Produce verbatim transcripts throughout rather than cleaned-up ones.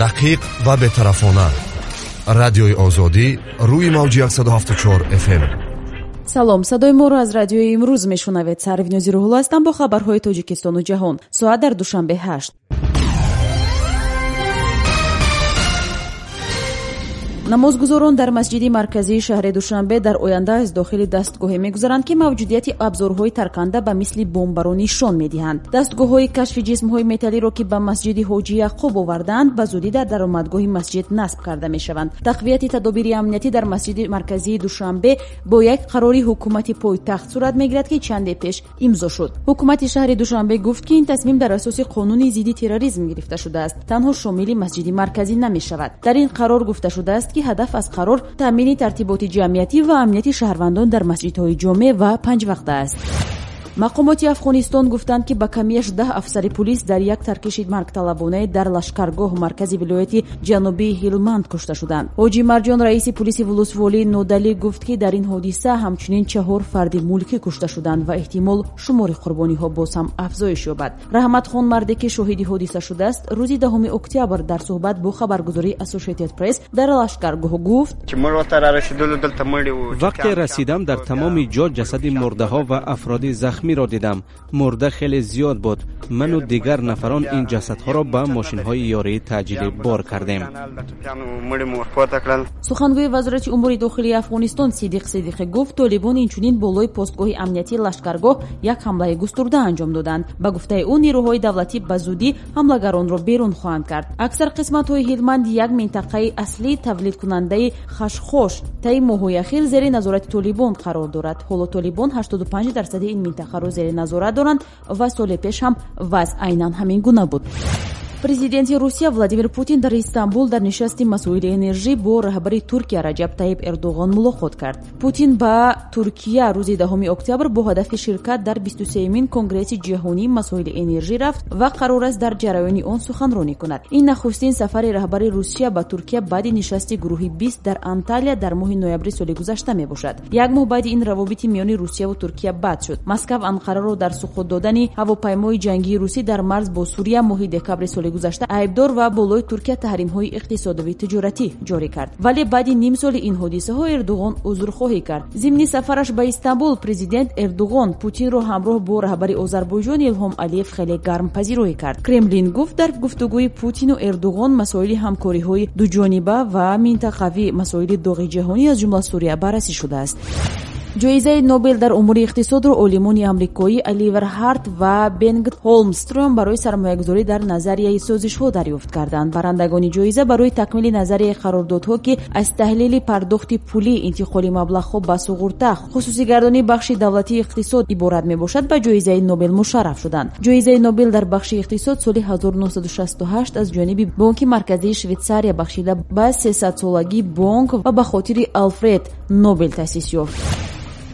Дақиқ ва бетарафона. Радиои Озодӣ рӯи мавҷи яксаду ҳафтоду чор эф эм. Салом, садои моро аз радиои имрӯз мешунавед. Сарвинози Рӯҳулло ҳастам бо хабарҳои Тоҷикистону ҷаҳон. Соат дар Душанбе ҳашт. Намозгузорон дар масҷиди марказии шаҳри Душанбе дар оянда аз дохили дастгоҳе мегузаранд, ки мавҷудияти абзорҳои тарканда ба мисли бомбаро нишон медиҳанд. Дастгоҳҳои кашфи ҷисмҳои металлиро, ки ба масҷиди Ҳоҷи Яъқуб овардаанд, ба зудӣ дар даромадгоҳи масҷид насб карда мешаванд. Тақвияти тадобири амниятӣ дар масҷиди марказии Душанбе бо як қарори ҳукумати пойтахт сурат мегирад, ки чанде пеш имзо шуд. Ҳукумати шаҳри Душанбе гуфт, ки ин тасмим дар асоси қонуни зидди терроризм гирифта шудааст, танҳо шомили масҷиди марказӣ намешавад. Дар ин қарор гуфта шудааст, ки ҳадаф аз қарор таъмини тартиботи ҷамъиятӣ ва амнияти шаҳрвандон дар масҷидҳои ҷомеъ ва панҷвақта аст. Мақомоти Афғонистон гуфтанд, ки ба камияш даҳ афсари пулис дар як таркиши маргталабонае дар Лашкаргоҳ, маркази вилояти ҷанубии Ҳилманд, кушта шуданд. Ҳоҷи Марҷон, раиси пулиси вулусволии Нодалӣ, гуфт, ки дар ин ҳодиса ҳамчунин чаҳор фарди мулкӣ кушта шуданд ва эҳтимол шумори қурбониҳо боз ҳам афзоиш ёбад. Раҳматхон, марде ки шоҳиди ҳодиса шудааст, рӯзи даҳуми октябр дар суҳбат бо хабаргузории Associated Press дар Лашкаргоҳ гуфт: вақте расидам, дар тамоми ҷо ҷасади мурдаҳо ва афроди захмӣ ро дидам. Мурда хеле зиёд буд. Ману дигар нафарон ин ҷасадҳоро ба мошинҳои ёрии таъҷилӣ бор кардем. Сухангӯи вазорати умури дохилии Афғонистон Сидиқ Сидиқӣ гуфт, толибон инчунин болои постгоҳи амниятии Лашкаргоҳ як ҳамлаи густурда анҷом доданд. Ба гуфтаи ӯ, нерӯҳои давлатӣ ба зудӣ ҳамлагаронро берун хоҳанд кард. Аксар қисматҳои Ҳилманд, як минтақаи аслии тавлидкунандаи хашхош, таи моҳҳои ахир зери назорати толибон қарор дорад. Ҳоло толибон ҳаштоду панҷ дарсади ин минтақа ро зери назорат доранд ва соли пеш ҳам вазъ айнан ҳамин гуна буд. Президенти Русия Владимир Путин дар Истанбул дар нишасти масоили энержӣ бо раҳбари Туркия Раҷаб Тайиб Эрдоғон мулоқот кард. Путин ба Туркия рӯзи даҳуми октябр бо ҳадафи ширкат дар бисту сеюмин конгресси ҷаҳонии масоили энержӣ рафт ва қарор аст дар ҷараёни он суханронӣ кунад. Ин нахустин сафари раҳбари Русия ба Туркия баъди нишасти гурӯҳи бист дар Анталия дар моҳи ноябри соли гузашта мебошад. Як моҳ баъди ин равобити миёни Русияву Туркия бад шуд. Москав Анқараро дар суқут додани ҳавопаймои ҷангии русӣ дар марз бо Сурия моҳи декабри соли гузашта айбдор ва болои Туркия таҳримҳои иқтисодиву тиҷоратӣ ҷорӣ кард. Вале баъди ним соли ин ҳодисаҳо Эрдоғон узрхоҳӣ кард. Зимни сафараш ба Истанбул президент Эрдоғон Путинро ҳамроҳ бо раҳбари Озарбойҷон Илҳом Алиев хеле гарм пазироӣ кард. Кремлин гуфт, дар гуфтугӯи Путину Эрдоғон масоили ҳамкориҳои дуҷониба ва минтақавӣ, масоили доғи ҷаҳонӣ аз ҷумла Сурия баррасӣ шудааст. Ҷоизаи Нобел дар умури иқтисодро олимони амрикоӣ Оливер Ҳарт ва Бенгт Ҳолмстрём барои сармоягузорӣ дар назарияи созишҳо дарёфт карданд. Барандагони ҷоиза барои такмили назарияи қарордодҳо, ки аз таҳлили пардохти пулӣ, интиқоли маблағҳо ба суғурта, хусусигардонии бахши давлатии иқтисод иборат мебошад, ба ҷоизаи Нобел мушарраф шуданд. Ҷоизаи Нобел дар бахши иқтисод соли ҳазору нӯҳсаду шасту ҳашт аз ҷониби Бонки марказии Швейтсария бахшида ба сесадсолагии бонк ва ба хотири Алфред Нобел таъсис ёфт.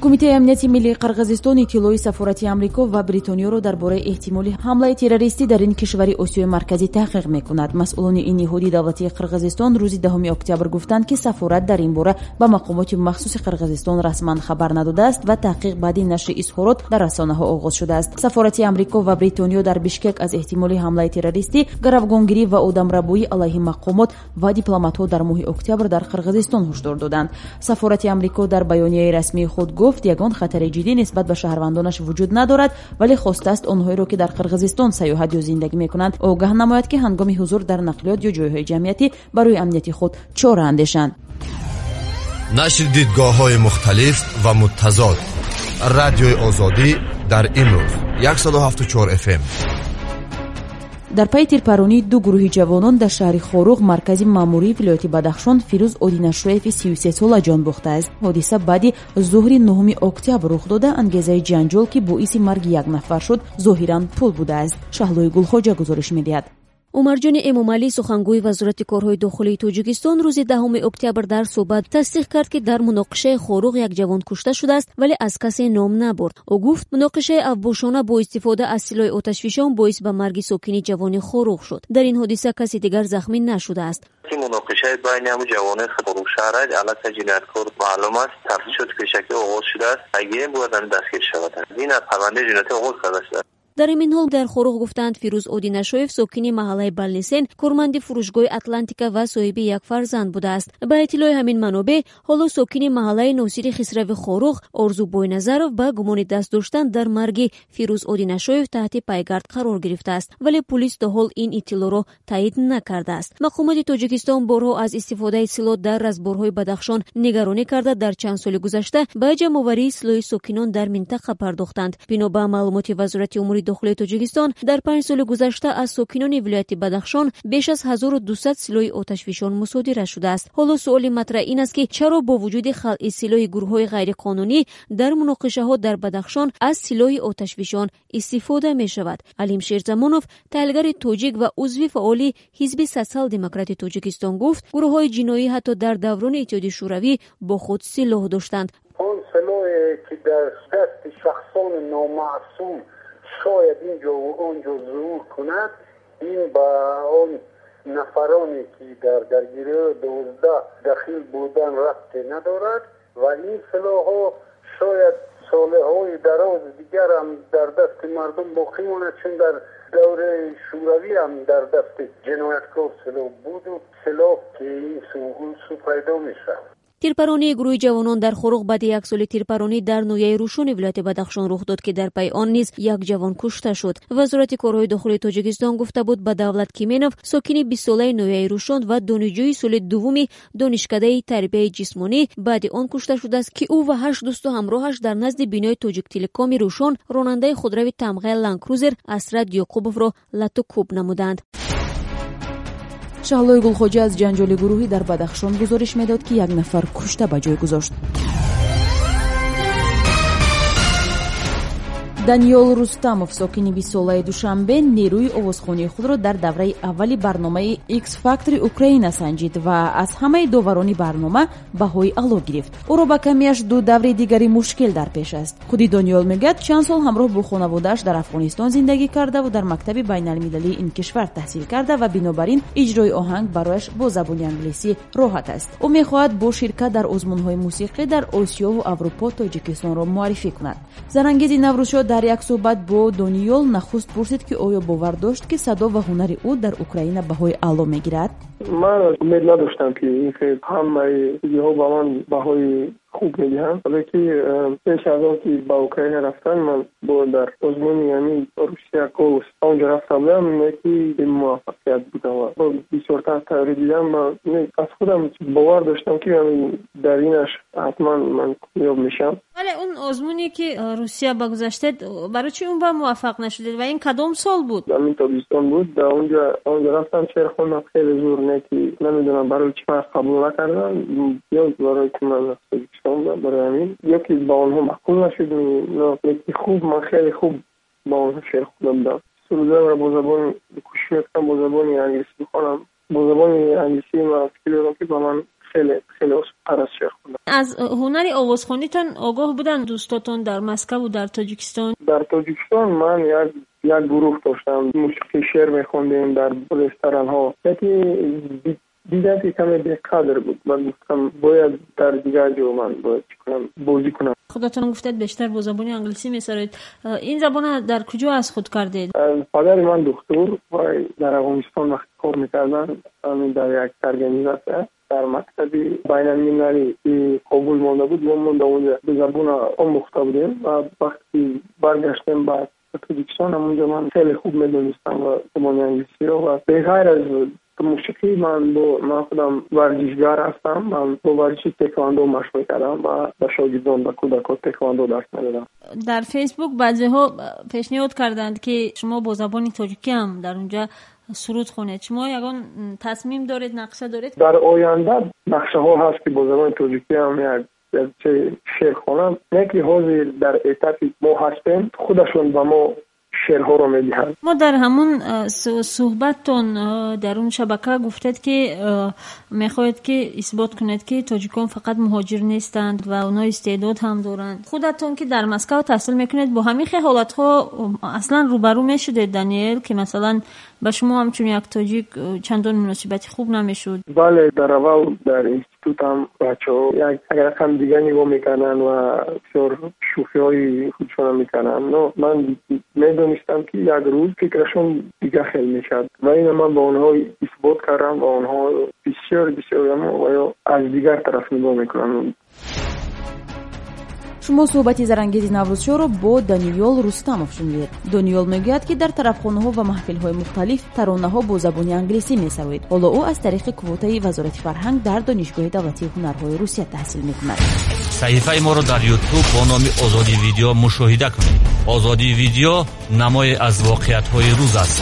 Кумитаи амнияти миллии Қирғизистон иттилои сафорати Амрико ва Бритониёро дар бораи эҳтимоли ҳамлаи террористӣ дар ин кишвари Осиёи Марказӣ таҳқиқ мекунад. Масъулони ин ниҳоди давлатии Қирғизистон рӯзи даҳуми октябр гуфтанд, ки сафорат дар ин бора ба мақомоти махсуси Қирғизистон расман хабар надодааст ва таҳқиқ баъди нашри изҳорот дар расонаҳо оғоз шудааст. Сафорати Амрико ва Бритониё дар Бишкек аз эҳтимоли ҳамлаи террористӣ, гаравгонгирӣ ва одамрабоӣ алайҳи мақомот ва дипломатҳо дар моҳи октябр дар Қирғизистон ҳушдор доданд. Сафорати Амрико дар баёнияи расмии худ гуфт, ягон хатари ҷиддӣ нисбат ба шаҳрвандонаш вуҷуд надорад, вале хостааст онҳоеро, ки дар Қирғизистон сайёҳат ё зиндагӣ мекунанд, огаҳ намояд, ки ҳангоми ҳузур дар нақлиёт ё ҷойҳои ҷамъиятӣ барои амнияти худ чора андешанд. Нашри дидгоҳҳои мухталиф ва муттазод. Радиои Озодӣ дар имрӯз яксаду ҳафтоду чор эф эм. Дар пайи тирпаронии ду гурӯҳи ҷавонон дар шаҳри Хоруғ, маркази маъмурии вилояти Бадахшон, Фирӯз Одинашоеви сию се сола ҷон бохтааст. Ҳодиса баъди зуҳри нуҳуми октябр рух дода, ангезаи ҷанҷол, ки боиси марги як нафар шуд, зоҳиран пул будааст. Шаҳлои Гулхоҷа гузориш медиҳад. Умарҷони Эмомалӣ, сухангӯи вазорати корҳои дохилии Тоҷикистон, рӯзи даҳуми октябр дар суҳбат тасдиқ кард, ки дар муноқишаи Хоруғ як ҷавон кушта шудааст, вале аз касе ном набурд. Ӯ гуфт, муноқишаи авбошона бо истифода аз силоҳи оташфишон боис ба марги сокини ҷавони Хоруғ шуд. Дар ин ҳодиса каси дигар захмӣ нашудааст. Муноқишаи байни ҳамун ҷавонои Хоруғ шаҳр аллакай ҷинояткор маълум аст, тафтишоти пешакӣ оғоз шудааст, агирем бояд ҳамин дастгир шавад. Ин аз парвандаи ҷиноятӣ оғоз карда шудааст. Дар ҳамин ҳол дар Хоруғ гуфтанд, Фирӯз Одинашоев сокини маҳаллаи Балнисен, корманди фурӯшгоҳи Атлантика ва соҳиби як фарзанд будааст. Ба иттилои ҳамин манобеъ, ҳоло сокини маҳаллаи Носири Хисрави Хоруғ Орзу Бойназаров ба гумони даст доштан дар марги Фирӯз Одинашоев таҳти пайгард қарор гирифтааст, вале пулис то ҳол ин иттилоъро таъид накардааст. Мақомоти Тоҷикистон борҳо аз истифодаи силоҳ дар разборҳои Бадахшон нигаронӣ карда, дар чанд соли гузашта ба ҷамъоварии силоҳи сокинон дар минтақа пардохтанд. Бино ба маълумоти Вазорати умури дохилии Тоҷикистон, дар панҷ соли гузашта аз сокинони вилояти Бадахшон беш аз ҳазору дусад силоҳи оташфишон мусодира шудааст. Ҳоло суоли матраҳ ин аст, ки чаро бо вуҷуди халъи силоҳи гурӯҳҳои ғайриқонунӣ дар муноқишаҳо дар Бадахшон аз силоҳи оташфишон истифода мешавад. Алим Шерзамонов, таҳлилгари тоҷик ва узви фаъоли Ҳизби Социал-демократи Тоҷикистон гуфт, гурӯҳҳои ҷиноӣ ҳатто дар даврони Иттиҳоди Шӯравӣ бо худ силоҳ доштанд. Он силоҳе ки дар дасти шахсони номаъсум шояд инҷо ва онҷо зуҳур кунад, ин ба он нафароне ки дар даргириҳои дувоздаҳ дахил будан рабте надорад ва ин силоҳҳо шояд солҳои дароз дигар ҳам дар дасти мардум боқӣ монад, чун дар давраи шӯравӣ ҳам дар дасти ҷинояткор силоҳ буду силоҳ ки ин су он су пайдо мешавад. Тирпаронии гурӯҳи ҷавонон дар Хоруғ баъди як соли тирпаронӣ дар ноҳияи Рӯшони вилояти Бадахшон рух дод, ки дар пайи он низ як ҷавон кушта шуд. Вазорати корҳои дохилии Тоҷикистон гуфта буд, ба Давлат Кименов, сокини бистсолаи ноҳияи Рӯшон ва донишҷӯи соли дуввуми донишкадаи тарбияи ҷисмонӣ баъди он кушта шудааст, ки ӯ ва ҳашт дӯсту ҳамроҳаш дар назди бинои Тоҷиктелекоми Рӯшон ронандаи худрави тамғаи Ландкрузер Асрат Ёқубовро лату кӯб намуданд. Шаҳлои Гулхоҷа аз ҷанҷоли гурӯҳӣ дар Бадахшон гузориш медод, ки як нафар кушта ба ҷой гузошт. Даниёл Рустамов, сокини бистсолаи Душанбе, нерӯи овозхонии худро дар давраи аввали барномаи X-Factor Украина санҷид ва аз ҳамаи доварони барнома баҳои аъло гирифт. Ӯро ба камиаш ду даври дигари мушкил дар пеш аст. Худи Дониёл мегӯяд, чанд сол ҳамроҳ бо хонаводааш дар Афғонистон зиндагӣ кардаву дар мактаби байналмилалии ин кишвар таҳсил карда ва бинобар ин иҷрои оҳанг барояш бо забони англисӣ роҳат аст. Ӯ мехоҳад бо ширкат дар озмунҳои мусиқӣ дар Осиёву Аврупо Тоҷикистонро муаррифӣ кунад. Зарангези Наврӯзшо дар як суҳбат бо Дониёл нахуст пурсид, ки оё бовар дошт, ки садо ва ҳунари ӯ дар Украина баҳои аъло мегирад? Ман умед надоштам, ки ин хел ҳамаи чизҳо ба ман баҳои хуб медиҳанд, вале ки пеш аз он ки ба Украина рафтан, ман бо дар озмуни ҳамин Русия Голос онҷо рафта будам, не ки бемуваффақият будам ва бисёртар тайёрӣ дидам. Аз худам бовар доштам, ки дар инаш ҳатман ман комёб мешавам. Вале он озмуне ки Русия ба гузаштед, барои чӣ он ба муваффақ нашудед ва ин кадом сол буд? Ҳамин тобистон буд. Дар онҷо онҷо рафтам, шеър хондам, хеле зур, не ки намедонам барои чӣ ман қабул накардам, ё барои ки ман аз Тоҷикистон будам, барои ҳамин, ё ки ба онҳо маъқул нашуд. Леки хуб, ман хеле хуб ба онҳо шеър хонда будам. Сурудамро бо забони кӯшиш мекунам бо забони англисӣ бихонам. Бо забони англисӣ ман фикр дорам, ки ба ман хеле хеле осонтар аст шеър хондан. Аз ҳунари овозхонитон огоҳ буданд дӯстотон дар Москаву дар Тоҷикистон? Дар Тоҷикистон ман як як гурӯҳ доштам, мусиқӣ шеър мехондем дар ресторанҳо. Леки дидам, ки каме беқадр буд. Ман гуфтам, бояд дар дигар ҷо ман бояд чӣ кунам, бозӣ кунам. Худатон гуфтед, бештар бо забони англисӣ месароед. Ин забонро дар куҷо аз худ кардед? Падари ман духтур ва дар Афғонистон вақти кор мекарданд, дар як организатсия дар мактаби байналмилалӣ ки Кобул монда буд, мо монда онҷо забонро омӯхта будем ва вақте баргаштем ба Тоҷикистон, ҳамонҷо ман хеле хуб медонистам ва забони англисиро ва беғайр аз мусиқӣ ман бо ман худам варзишгар ҳастам. Ман бо варзиши тэквондо машқ мекардам ва ба шогирдон, ба кӯдакон тэквондо дарс медодам. Дар Фейсбук баъзеҳо пешниҳод карданд, ки шумо бо забони тоҷикӣ ҳам дар онҷа суруд хонед. Шумо ягон тасмим доред, нақша доред? Дар оянда нақшаҳо ҳаст, ки бо забони тоҷикӣ ҳам як шеър хонам. Не ки ҳозир дар этапи мо ҳастем, худашон ба мо шеърҳоро медиҳанд. Мо дар ҳамун суҳбаттон дар он шабака гуфтед, ки мехоҳед, ки исбот кунед, ки тоҷикон фақат муҳоҷир нестанд ва онҳо истеъдод ҳам доранд. Худатон ки дар Москав таҳсил мекунед, бо ҳамин хел ҳолатҳо аслан рӯбарӯ мешудед, Даниэл, ки масалан Ба шумо ҳамчун як тоҷик чандон муносибати хуб намешуд. Бале, дар аввал дар институтам бачаҳо як рақам дигар нигоҳ мекарданд ва бисёр шӯхиҳои худшона мекарданд. Но ман медонистам, ки як рӯз фикрашон дигар хел мешавад ва ина ман ба онҳо исбот кардам ва онҳо бисёр бисёр ва ё аз дигар тараф нигоҳ мекунанд. Шумо суҳбати зарангези Наврӯзшоҳро бо Даниёл Рустамов шунидед. Дониёл мегӯяд, ки дар тарафхонаҳо ва маҳфилҳои мухталиф таронаҳо бо забони англисӣ месароид. Ҳоло ӯ аз тариқи квотаи Вазорати фарҳанг дар Донишгоҳи давлатии ҳунарҳои Русия таҳсил мекунад. Саҳифаи моро дар Ютуб бо номи Озодӣ Видео мушоҳида кунед. Озодӣ Видео намое аз воқеиятҳои рӯз аст.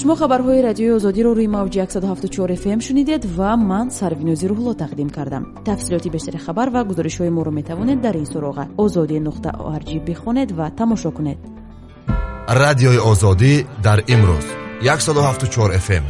Шумо хабарҳои Радиои Озодиро рӯи мавҷи яксаду ҳафтоду чор эф эм шунидед ва ман Сарвинози Рӯҳулло тақдим кардам. Тафсилоти бештари хабар ва гузоришҳои моро метавонед дар ин суроға озодӣ нуқта орг бихонед ва тамошо кунед. Радиои Озодӣ дар имрӯз яксаду ҳафтоду чор эф эм.